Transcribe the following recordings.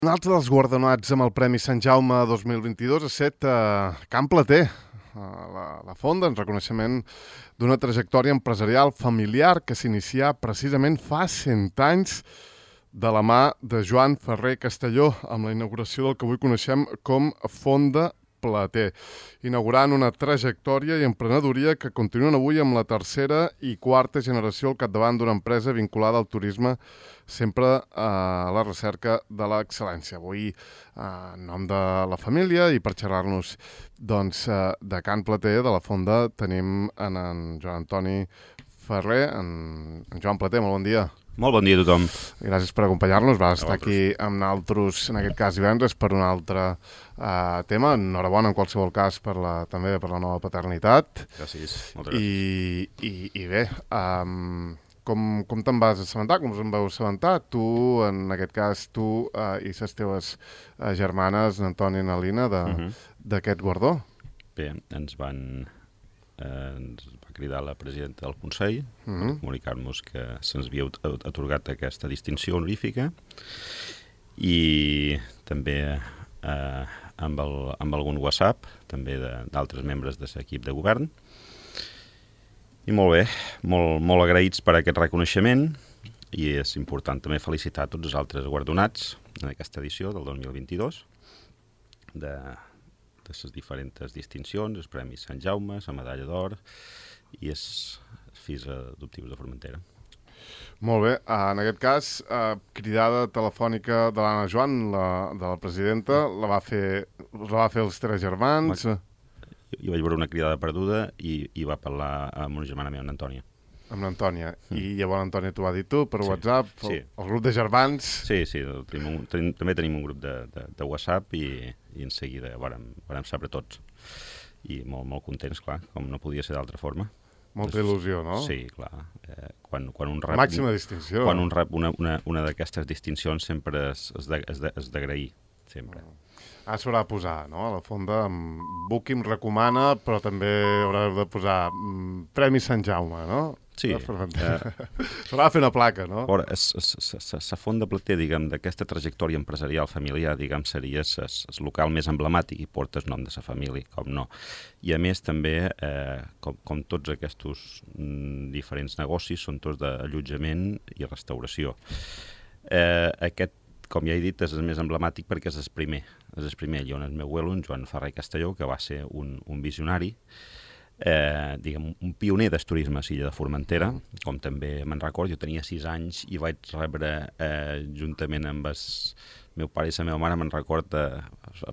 Un altre dels guardonats amb el Premi Sant Jaume 2022 ha estat Can Plater, la Fonda, en reconeixement d'una trajectòria empresarial familiar que s'inicià precisament fa 100 anys de la mà de Joan Ferrer Castelló, amb la inauguració del que avui coneixem com Fonda Plater, inaugurant una trajectòria i emprenedoria que continuen avui amb la tercera i quarta generació al capdavant d'una empresa vinculada al turisme, sempre a la recerca de l'excel·lència. Avui, en nom de la família i per xerrar-nos de Can Plater, de la Fonda, tenim en Joan Antoni Ferrer. En Joan Plater, molt bon dia. Molt bon dia a tothom. Gràcies per acompanyar-nos. Va estar aquí amb nosaltres, en aquest cas divendres, per un altre tema. Enhorabona, en qualsevol cas, també per la nova paternitat. Gràcies, moltes gràcies. I bé, com te'n vas assabentar? Com us en vau assabentar? Tu, en aquest cas, tu i les teves germanes, Antoni i Nalina, d'aquest guardó? Bé, ens va cridar la presidenta del Consell per comunicar-nos que se'ns havia atorgat aquesta distinció honorífica i també amb algun WhatsApp també d'altres membres de l'equip de govern. I molt bé, molt agraïts per aquest reconeixement, i és important també felicitar tots els altres guardonats en aquesta edició del 2022 de les diferents distincions, els Premis Sant Jaume, la Medalla d'Or i els Fills Adoptius de Formentera. Molt bé. En aquest cas, cridada telefònica de l'Anna Joan, de la presidenta, la va fer els tres germans. Jo vaig veure una cridada perduda i va parlar amb una germana meva, Antònia. Amb l'Antònia. I llavors l'Antònia t'ho va dir tu per WhatsApp, el grup de germans. Sí, també tenim un grup de WhatsApp i en seguida vàrem saber tots. I molt contents, clar, com no podia ser d'altra forma. Molta il·lusió, no? Sí, clar. Quan un rep... Màxima distinció. Quan un rep una d'aquestes distincions sempre és d'agrair, sempre. S'haurà de posar, no?, a la Fonda, Booking recomana, però també haurà de posar Premi Sant Jaume, no? Sí. S'haurà de fer una placa, no? La Fonda Plater, diguem, d'aquesta trajectòria empresarial familiar, diguem, seria el local més emblemàtic i porta el nom de la família, com no. I a més també, com tots aquests diferents negocis, són tots d'allotjament i restauració. Aquest, com ja he dit, és el més emblemàtic perquè és el primer. És el primer. Hi ha el meu abuelo, en Joan Ferrer Castelló, que va ser un visionari, diguem, un pioner del turisme a l'illa de Formentera, com també me'n recordo. Jo tenia 6 anys i vaig rebre, juntament amb el meu pare i la meva mare, me'n recordo,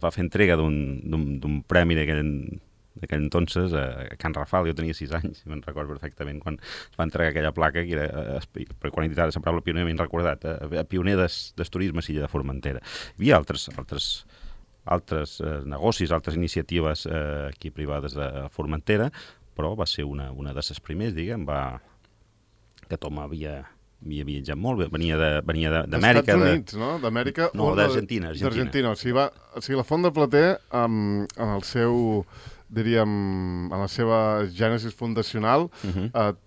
va fer entrega d'un premi d'aquell entonces a Can Rafal. Jo tenia 6 anys i me'n recordo perfectament quan es va entregar aquella placa, que era, per quan he dit ara la paraula pioner, m'he recordat, pioner del turisme a l'illa de Formentera. Hi havia altres negocis, altres iniciatives aquí privades de Formentera, però va ser una de les primers, diguem, que Tom havia viatjat molt, venia d'Amèrica. Estats Units, no? D'Amèrica? No, d'Argentina. D'Argentina. O sigui, la Fonda Plater, en el seu, diríem, en la seva gènesis fundacional,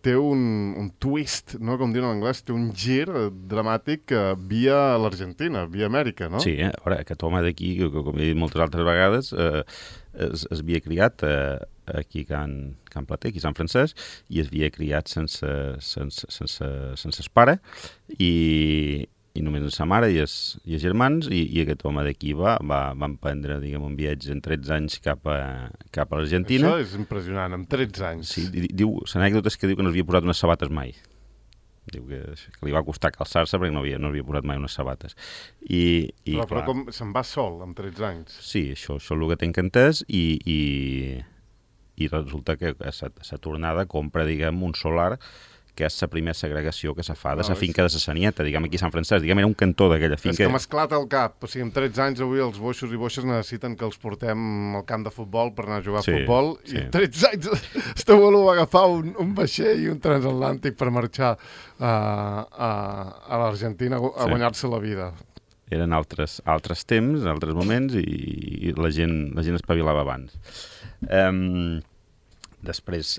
té un twist, no?, com diuen en anglès, té un gir dramàtic via l'Argentina, via Amèrica, no? Sí, a veure, aquest home d'aquí, com he dit moltes altres vegades, es havia criat aquí a Can Plater, aquí a Sant Francesc, i es havia criat sense el pare, i només amb sa mare i els germans, i aquest home d'aquí va emprendre, diguem, un viatge en 13 anys cap a l'Argentina. Això és impressionant, amb 13 anys. Sí, l'anècdota és que diu que no havia posat unes sabates mai. Diu que li va costar calçar-se perquè no havia posat mai unes sabates. Però com se'n va sol, amb 13 anys? Sí, això és el que tinc entès, i resulta que a la tornada compra, diguem, un solar, que és la primera segregació que se fa de la finca de la Sanieta, diguem, aquí a Sant Francesc. Diguem, era un cantó d'aquella finca. És que m'esclata el cap. O sigui, amb 13 anys avui els boixos i boixes necessiten que els portem al camp de futbol per anar a jugar a futbol. Sí. I amb 13 anys este abuelo va agafar un vaixell i un transatlàntic per marxar a l'Argentina a guanyar-se la vida. Eren altres temps, altres moments, i la gent espavilava abans. Després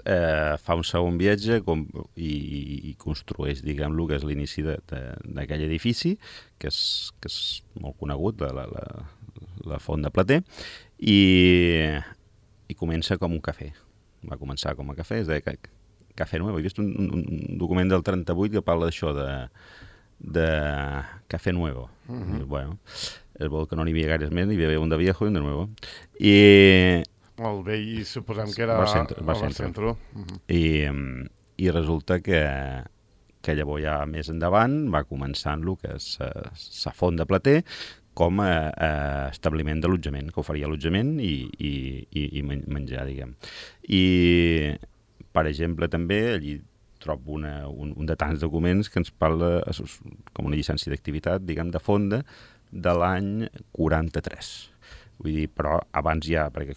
fa un segon viatge i construeix, diguem-lo, que és l'inici d'aquell edifici, que és molt conegut, la Font de Plater, i comença com un cafè. Va començar com a cafè, es deia Cafè Nuevo. He vist un document del 38 que parla d'això, de Cafè Nuevo. Bueno, és bo que no n'hi havia gaires més, n'hi havia un de viejo i un de nuevo. El vell suposem que era Barcentro. I resulta que llavors ja més endavant va començant el que és la Font de Plater com a establiment d'allotjament, que oferia allotjament i menjar, diguem. I, per exemple, també allí trobo un de tants documents que ens parla com una llicència d'activitat, diguem, de Fonda, de l'any 43. Vull dir, però abans ja, perquè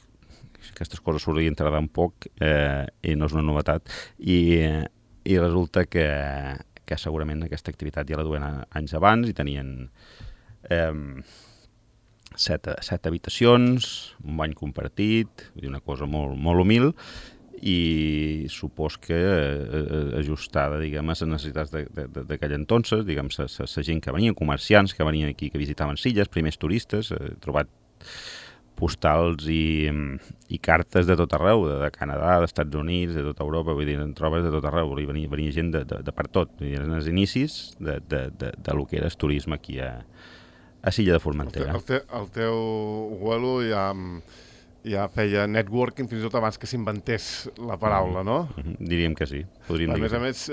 aquestes coses s'haurien tardar un poc i no és una novetat, i resulta que segurament aquesta activitat ja la duen anys abans i tenien 7 habitacions, un bany compartit, vull dir, una cosa molt, molt humil, i supos que ajustada, diguem, a les necessitats d'aquell entonces, diguem, la gent que venia, comerciants que venien aquí, que visitaven Silles, primers turistes, he trobat postals i cartes de tot arreu, de Canadà, dels Estats Units, de tota Europa, vull dir, en trobes de tot arreu, venia gent de per tot, vull dir, eren els inicis de lo que era el turisme aquí a Silla de Formentera. El teu abuelo ja feia networking fins i tot abans que s'inventés la paraula, no? Diríem que sí. A més,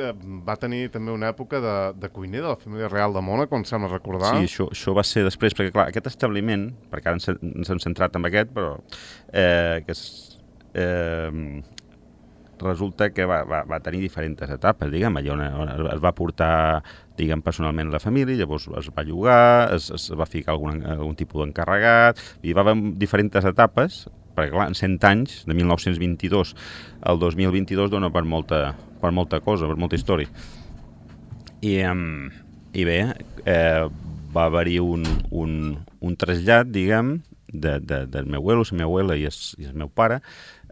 va tenir també una època de cuiner de la família real de Mònaco, em sembla recordar. Sí, això va ser després, perquè clar, aquest establiment, perquè ara ens hem centrat en aquest, però resulta que va tenir diferents etapes, diguem, allà on es va portar, diguem, personalment la família, llavors es va llogar, es va ficar algun tipus d'encarregat, i va haver diferents etapes, perquè clar, en 100 anys, de 1922 al 2022, dona per molta cosa, per molta història. I bé, va haver-hi un trasllat, diguem, del meu abuelo, la meva abuela i el meu pare,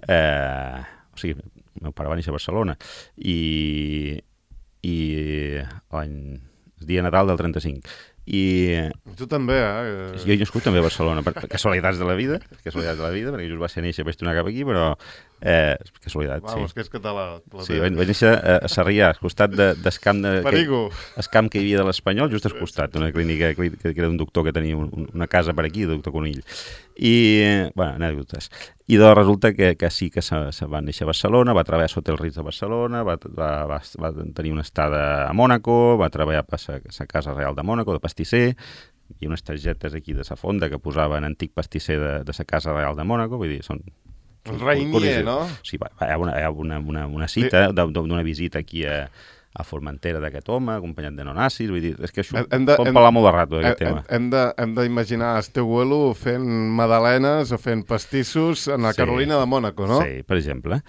o sigui, el meu pare va néixer a Barcelona, i el dia Nadal del 35. I tu també, jo he nascut també a Barcelona, per casualitats de la vida, perquè just va ser néixer, vaig tornar cap aquí, però casualitat, sí. Vamos, que és català. Sí, vaig néixer a Sarrià, al costat del camp que hi havia de l'Espanyol, just al costat, una clínica que era un doctor que tenia una casa per aquí, el doctor Conill. I, bueno, anècdotes. I doncs resulta que sí que se va néixer a Barcelona, va treballar sota el Ritz de Barcelona, va tenir una estada a Mònaco, va treballar per la Casa Real de Mònaco, de pastisser, i unes targetes aquí de la fonda que posaven antic pastisser de la Casa Real de Mònaco, vull dir, són... Rainier, no? Sí, hi ha una cita d'una visita aquí a Formentera d'aquest home, acompanyat de nonacis, vull dir, és que això pot parlar molt de rato d'aquest tema. Hem d'imaginar el teu abuelo fent magdalenes o fent pastissos en la Carolina de Mònaco, no? Sí, per exemple.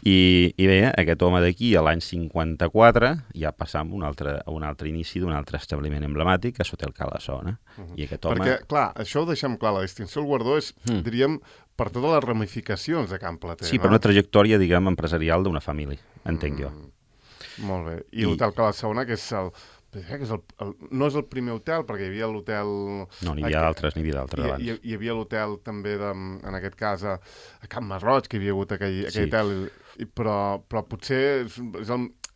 I bé, aquest home d'aquí, a l'any 54, ja passam a un altre inici d'un altre establiment emblemàtic, que és Hotel Cala Sona. I aquest home... Perquè, clar, això ho deixem clar, la distinció del guardó és, diríem, per totes les ramificacions de Can Plater, sí, no? Per una trajectòria, diguem, empresarial d'una família, entenc jo. Molt bé. I l'Hotel Cala Sona, que és no és el primer hotel, perquè hi havia l'hotel... No, n'hi havia d'altres abans. Hi havia l'hotel també, en aquest cas, a Can Masroig, que hi havia hagut aquell hotel, però potser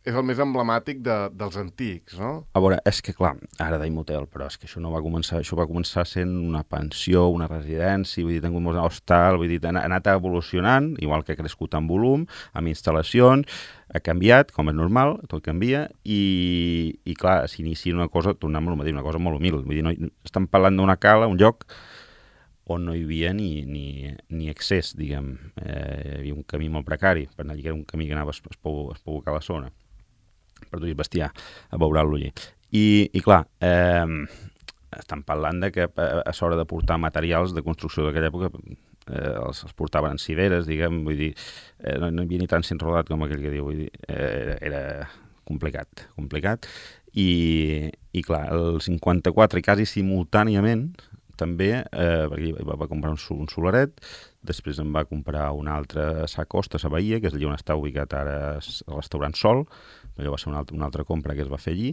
és el més emblemàtic dels antics, no? A veure, és que clar, ara deim hotel, però és que això va començar sent una pensió, una residència, vull dir, tingut un hostal, vull dir, ha anat evolucionant, igual que ha crescut en volum, amb instal·lacions, ha canviat, com és normal, tot canvia, i clar, s'inicia una cosa, tornem a dir, una cosa molt humil, vull dir, estem parlant d'una cala, un lloc on no hi havia ni accés, diguem, hi havia un camí molt precari, per anar allà, era un camí que anava a Espoucar la zona, per dur el bestiar, a veurar-lo allí. I clar, estan parlant de que a l'hora de portar materials de construcció d'aquella època els portaven en civeres, diguem, vull dir, no hi havia ni tant enrodat com aquell que diu, vull dir, era complicat. I clar, el 54, i quasi simultàniament, també, perquè va comprar un solaret, després em va comprar un altre a Sa Costa, a Bahia, que és allà on està ubicat ara el restaurant Sol. Allò va ser una altra compra que es va fer allí,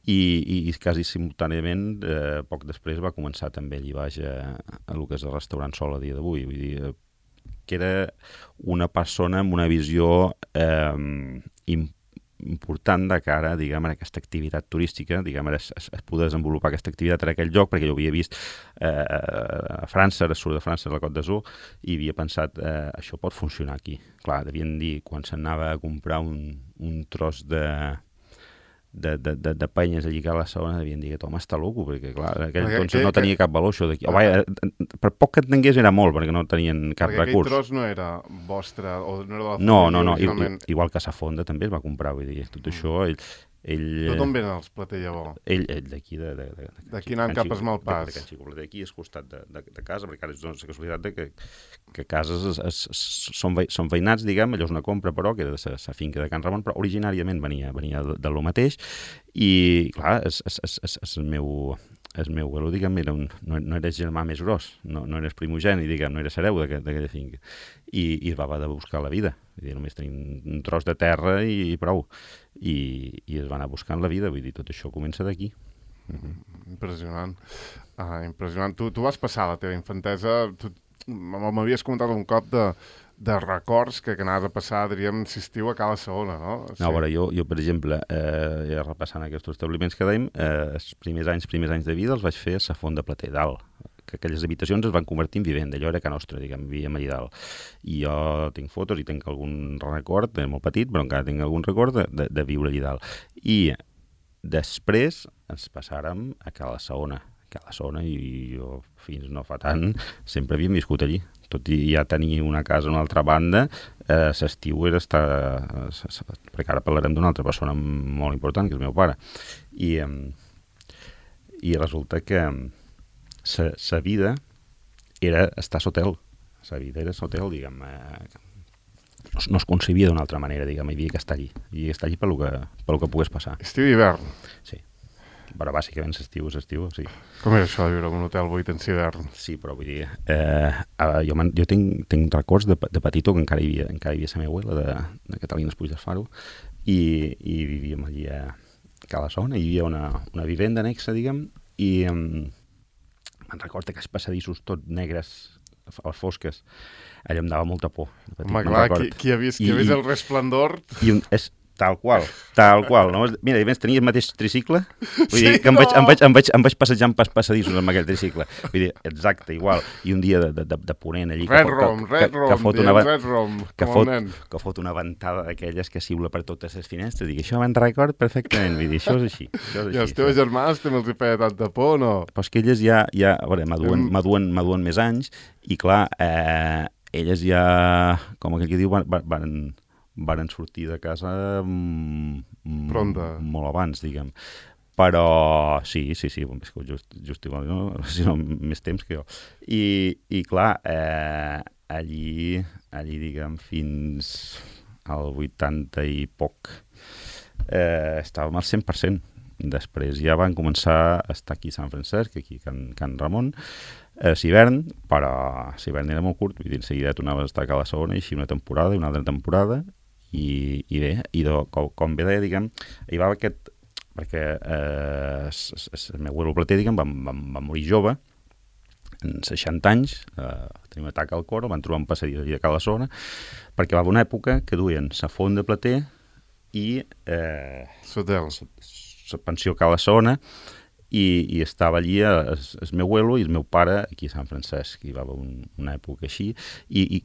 i quasi simultàniament, poc després, va començar també allí baix a el que és el restaurant Sol a dia d'avui. Vull dir, que era una persona amb una visió important de cara, diguem, a aquesta activitat turística, diguem, es poder desenvolupar aquesta activitat en aquell lloc, perquè jo havia vist a França, a sud de França, a la Côte d'Azur, i havia pensat, això pot funcionar aquí. Clar, devien dir, quan s'anava a comprar un tros de penyes allí a la segona, devien dir que home està loco, perquè clar, aquell entonces no tenia cap valor això d'aquí. Per poc que entengués era molt, perquè no tenien cap recurs. Perquè aquell tros no era vostre, o no era de la família? No, igual que Sa Fonda també es va comprar, vull dir, tot això, Tu d'on venen els Plater, llavors? Ell d'aquí, d'aquí anant cap a Esmalpàs. De Can Xicopleter, aquí, al costat de casa, perquè ara és la casualitat que cases són veïnats, diguem, allò és una compra, però, que era de la finca de Can Ramon, però originàriament venia de lo mateix, i, clar, el meu abuelo, diguem, no era germà més gros, no eres primogeni, diguem, no era hereu d'aquella finca, i es va haver de buscar la vida. Vull dir, només tenim un tros de terra i prou. I es va anar buscant la vida, vull dir, tot això comença d'aquí. Impressionant. Impressionant. Tu vas passar la teva infantesa, m'havies comentat un cop de records que anaves a passar, diríem, si estiu a Cala Segona, no? Sí. No, a veure, jo per exemple, ja repassant aquests establiments que dèiem, els primers anys de vida els vaig fer a Sa Font de Plater, dalt, que aquelles habitacions es van convertir en vivenda, allò era Can Nostra, diguem, vivíem allà dalt. I jo tinc fotos i tinc algun record, molt petit, però encara tinc algun record de viure allà dalt. I després ens passàrem a Cala Segona, i jo fins no fa tant sempre havíem viscut allí. Tot i ja tenir una casa a una altra banda, l'estiu era estar... perquè ara parlarem d'una altra persona molt important, que és el meu pare. I resulta que sa vida era estar a l'hotel. Sa vida era a l'hotel, diguem. No es concebia d'una altra manera, diguem. Hi havia que estar allí. Hi havia que estar allí pel que pogués passar. Estiu i hivern. Sí. Però bàsicament l'estiu, sí. Com era això de viure en un hotel 8 anys d'hivern? Sí, però vull dir... jo tinc records de petitó que encara hi havia la meva abuela de Catalina Puig del Faro i vivíem allí a Cala Segona, hi havia una vivenda anexa, diguem, i me'n recordo que els passadissos tots negres, a les fosques, allò em dava molta por. Home, clar, qui ha vist el Resplendor... Tal qual. No? Mira, a més, tenia el mateix tricicle, vull dir que em vaig passejant per passadissos amb aquell tricicle. Vull dir, exacte, igual. I un dia de ponent allí... que fot una ventada d'aquelles que siula per totes les finestres. Dic, això me'n record perfectament. Vull dir, això és així. I els teus germans també els hi feia tanta por, no? Però és que elles ja a veure, m'aduen més anys i, clar, elles ja, com aquell que diu, van sortir de casa molt abans, diguem. Però sí, hem viscut just igual, no? Si no, més temps que jo. I clar, allí, diguem, fins al 80 i poc, estàvem al 100%. Després ja van començar a estar aquí a Sant Francesc, aquí a Can Ramon, a l'hivern, però l'hivern era molt curt, vull dir, en seguida tornaves a estar a Cala Segona, i així una temporada i una altra temporada, i bé, com bé deia, diguem, hi va aquest, perquè el meu abuelo Plater, diguem, va morir jove, en 60 anys, tenia un atac al cor, van trobar un passadís allà a Cala Segona, perquè va haver una època que duien Sa Font de Plater i la pensió Cala Segona, i estava allí el meu abuelo i el meu pare aquí a Sant Francesc, hi va haver una època així, i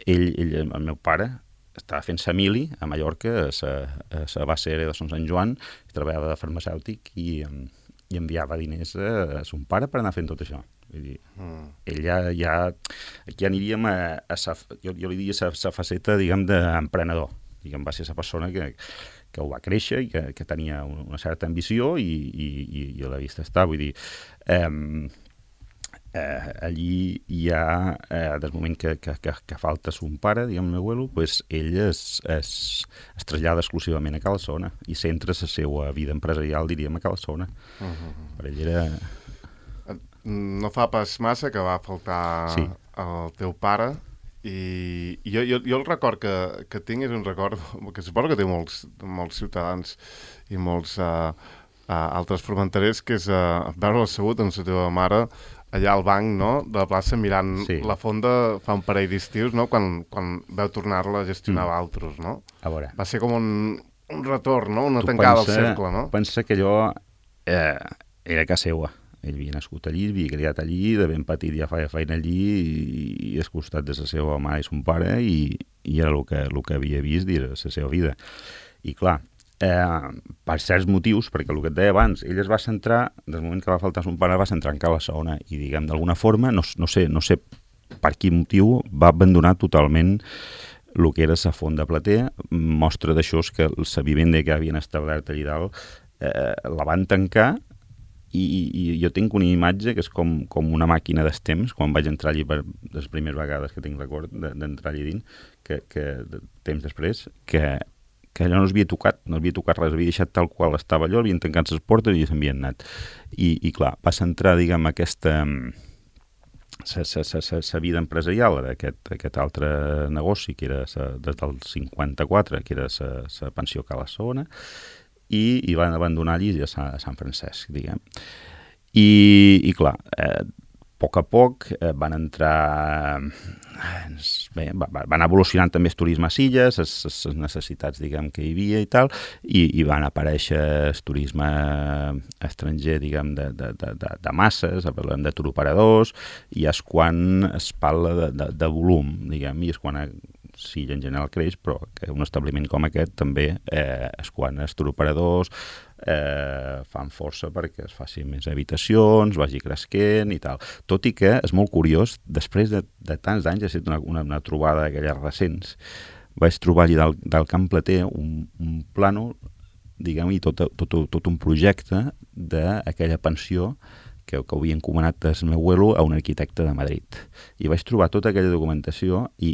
el meu pare estava fent família a Mallorca, a la base aèria de Sant Joan, treballava de farmacèutic i enviava diners a son pare per anar fent tot això. Vull dir, ell ja aquí aniríem jo li diria la faceta, diguem, d'emprenedor. Diguem, va ser la persona que ho va créixer i que tenia una certa ambició i a la vista està. Vull dir, allí hi ha, des del moment que falta son pare, diguem, el meu abuelo, pues ell es trasllada exclusivament a Cala Segona i centra la seva vida empresarial, diríem, a Cala Segona. Per ell era... no fa pas massa que va faltar el teu pare i jo el record que tinc és un record que suposo que té molts ciutadans i molts altres formenterers, que és veure assegut amb la teva mare allà al banc, no?, de la plaça mirant la fonda fa un parell d'estius, no?, quan veu tornar-la a gestionar altres, no? A veure. Va ser com un retorn, no?, una tancada al cercle, no? Pensa que jo era a casa seva. Ell havia nascut allí, havia criat allí, de ben petit ja feia feina allí i és costat de la seva mare i son pare i era el que havia vist de la seva vida. I clar, per certs motius, perquè el que et deia abans, ell es va centrar, des del moment que va faltar son pare, va centrar en Cala Segona i, diguem, d'alguna forma, no sé per quin motiu, va abandonar totalment el que era la font de Plater. Mostra d'això és que la vivenda que havien establert allà dalt la van tancar i jo tinc una imatge que és com una màquina dels temps, quan vaig entrar allí per les primeres vegades que tinc record d'entrar allí dins, que temps després, que allò no s'havia tocat, res, havia deixat tal qual estava allò, havien tancat les portes i s'havien anat. I clar, va centrar, diguem, aquesta sa vida empresarial d'aquest altre negoci, que era des del 54, que era la pensió Cala Segona, i van abandonar allí a Sant Francesc, diguem. I clar, a poc van entrar... Bé, van evolucionant també el turisme a Illes, les necessitats, diguem, que hi havia i tal, i van aparèixer el turisme estranger, diguem, de masses, parlem de turoperadors, i és quan es parla de volum, diguem, i és quan Silla en general creix, però que un establiment com aquest també és quan els turoperadors fan força perquè es facin més habitacions, vagi cresquent i tal. Tot i que és molt curiós, després de tants anys, ha estat una trobada d'aquelles recents, vaig trobar allà del Camp Plater un plànol, diguem, i tot un projecte d'aquella pensió que havia encomanat el meu abuelo a un arquitecte de Madrid. I vaig trobar tota aquella documentació i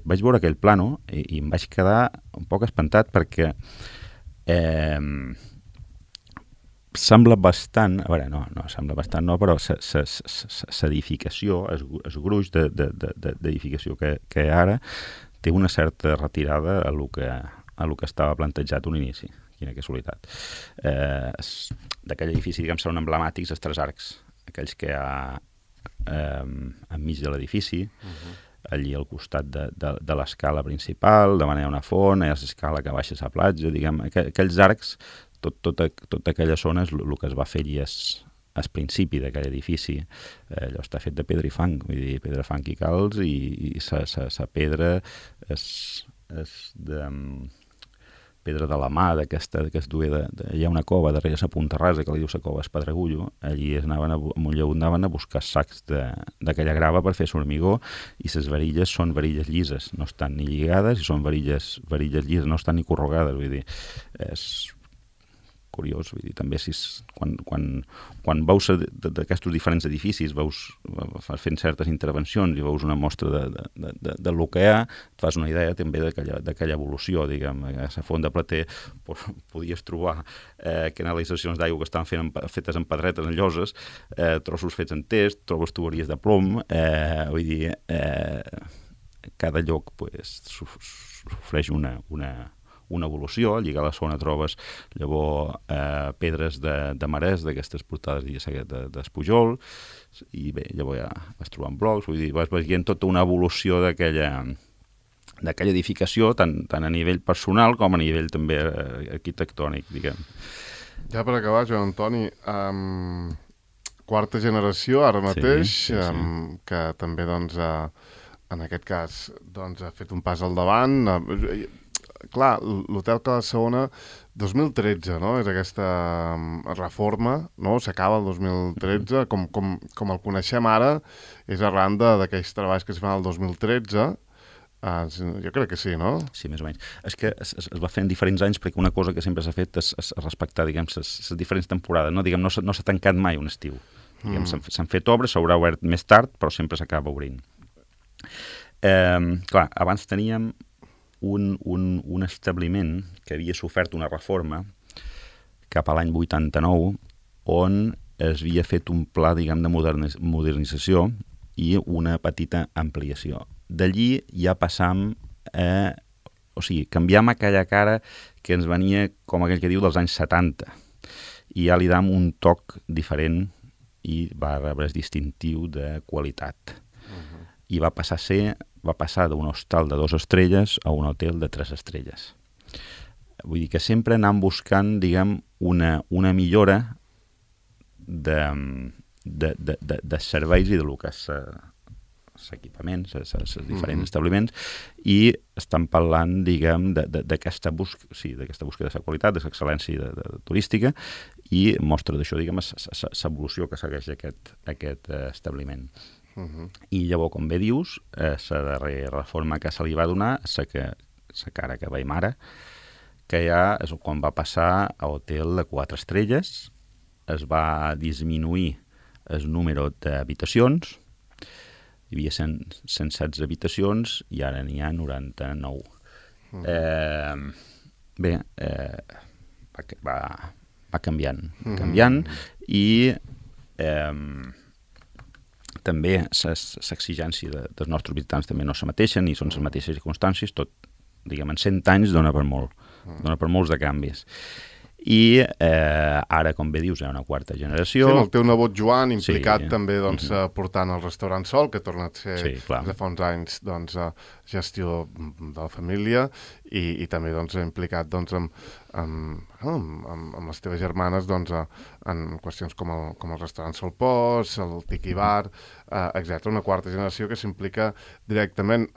vaig veure aquell plànol i em vaig quedar un poc espantat perquè sembla bastant, a veure, no sembla bastant, no, però l'edificació, el gruix d'edificació que ara té una certa retirada a lo que estava plantejat un inici. Quina casualitat. D'aquell edifici, diguem, són emblemàtics els tres arcs, aquells que hi ha enmig de l'edifici, allí al costat de l'escala principal, de manera una font, hi ha l'escala que baixa a la platja, diguem, aquells arcs, tota aquella zona és el que es va fer allí al principi d'aquell edifici. Allò està fet de pedra i fang, vull dir, pedra, fang i calç, i la pedra és de pedra de la mà, d'aquesta que es duia hi ha una cova darrere la Punta Rasa que li diu la cova Espadaregullo, allí anaven a buscar sacs d'aquella grava per fer formigó, i les varilles són varilles llises, no estan ni lligades, i són varilles llises, no estan ni corrugades, vull dir, és curiós, vull dir, també quan veus d'aquests diferents edificis, veus fent certes intervencions i veus una mostra del que hi ha, et fas una idea també d'aquella evolució, diguem, a la font de Plater podies trobar canalitzacions d'aigua que estaven fetes en pedretes, en lloses, trossos fets en test, trobes tuberies de plom, vull dir, cada lloc sofreix una evolució. Allà a la zona trobes llavors pedres de marès, d'aquestes portades d'Espujol, i bé, llavors ja vas trobant blocs, vull dir, vas veient tota una evolució d'aquella edificació, tant a nivell personal com a nivell també arquitectònic, diguem. Ja per acabar, Joan Antoni, quarta generació ara mateix, que també, doncs, en aquest cas, ha fet un pas al davant. Clar, l'Hotel Cala Segona 2013, no? És aquesta reforma, no? S'acaba el 2013, com el coneixem ara, és arran d'aquells treballs que es fan el 2013. Jo crec que sí, no? Sí, més o menys. És que es va fer en diferents anys perquè una cosa que sempre s'ha fet és respectar, diguem, les diferents temporades, no? Diguem, no s'ha tancat mai un estiu. Diguem, s'han fet obres, s'haurà obert més tard, però sempre s'acaba obrint. Clar, abans teníem un establiment que havia sofert una reforma cap a l'any 89, on es havia fet un pla, diguem, de modernització i una petita ampliació. D'allí ja passam a... O sigui, canviam aquella cara que ens venia, com aquell que diu, dels anys 70. I ja li dam un toc diferent i va rebre el distintiu de qualitat. I va passar d'un hostal de 2 estrelles a un hotel de 3 estrelles. Vull dir que sempre anem buscant, diguem, una millora de serveis i de lo que és equipaments, els diferents establiments, i estan parlant, diguem, d'aquesta búsqueda de la qualitat, de l'excel·lència turística, i mostra d'això, diguem, l'evolució que segueix aquest establiment. I llavors, com bé dius, la darrera reforma que se li va donar, la cara que veiem ara, que ja és quan va passar a hotel de 4 estrelles, es va disminuir el número d'habitacions, hi havia 116 habitacions i ara n'hi ha 99. Va canviant i també l'exigència dels nostres visitants també no és la mateixa, ni són les mateixes circumstàncies, tot, diguem, en 100 anys dona per molts de canvis. I ara, com bé dius, hi ha una quarta generació. Sí, el teu nebot Joan, implicat també portant el restaurant Sol, que torna a ser de fa uns anys gestió de la família, i també implicat amb les teves germanes en qüestions com el restaurant Sol Pos, el Tiki Bar, etc. Una quarta generació que s'implica directament.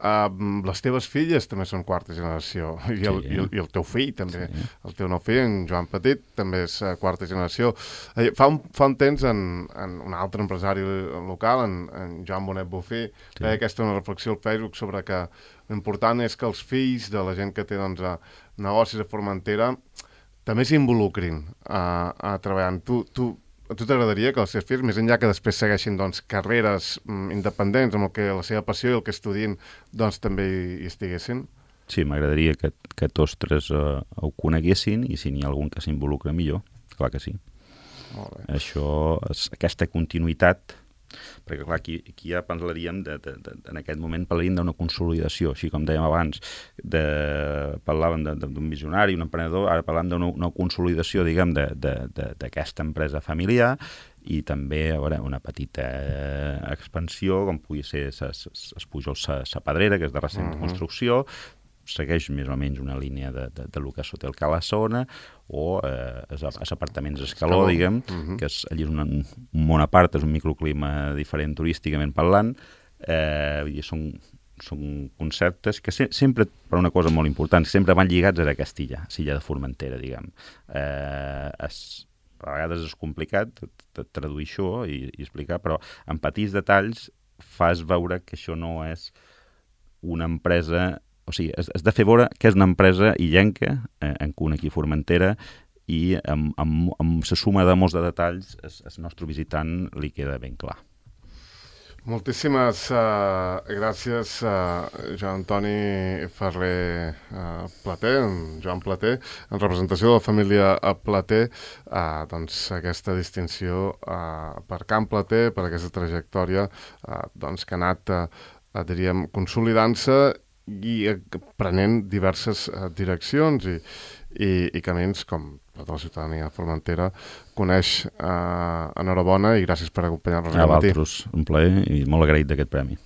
Les teves filles també són quarta generació, i el teu fill també, el teu nou fill, en Joan Petit, també és quarta generació. Fa un temps, en un altre empresari local, en Joan Bonet Bufí, feia aquesta una reflexió al Facebook sobre que l'important és que els fills de la gent que té negocis a Formentera també s'involucrin treballant. A tu t'agradaria que els teus fills, més enllà que després segueixin carreres independents amb la seva passió i el que estudien, també hi estiguessin? Sí, m'agradaria que tots tres ho coneguessin, i si n'hi ha algun que s'involucra millor, clar que sí. Molt bé. Això, aquesta continuïtat, perquè clar, aquí ja parlaríem, en aquest moment parlaríem d'una consolidació, així com dèiem abans, parlàvem d'un visionari, un emprenedor, ara parlàvem d'una consolidació, diguem, d'aquesta empresa familiar, i també una petita expansió, com pugui ser es Pujols Sa Pedrera, que és de recent construcció, segueix més o menys una línia de lo que és Hotel Cala Sona, o els apartaments Escaló, diguem, que allí és un món a part, és un microclima diferent turísticament parlant. Són conceptes que sempre, per una cosa molt important, sempre van lligats a Castilla, a l'illa de Formentera, diguem. A vegades és complicat traduir això i explicar, però en petits detalls fas veure que això no és una empresa. O sigui, has de fer veure que és una empresa illenca, en cuna aquí a Formentera, i amb la suma de molts de detalls el nostre visitant li queda ben clar. Moltíssimes gràcies, Joan Antoni Ferrer Plater, Joan Plater, en representació de la família Plater, aquesta distinció per Can Plater, per aquesta trajectòria que ha anat, diríem, consolidant-se i prenent diverses direccions i camins, com tota la ciutadania de Formentera coneix. Enhorabona i gràcies per acompanyar-nos a vosaltres, un plaer i molt agraït d'aquest premi.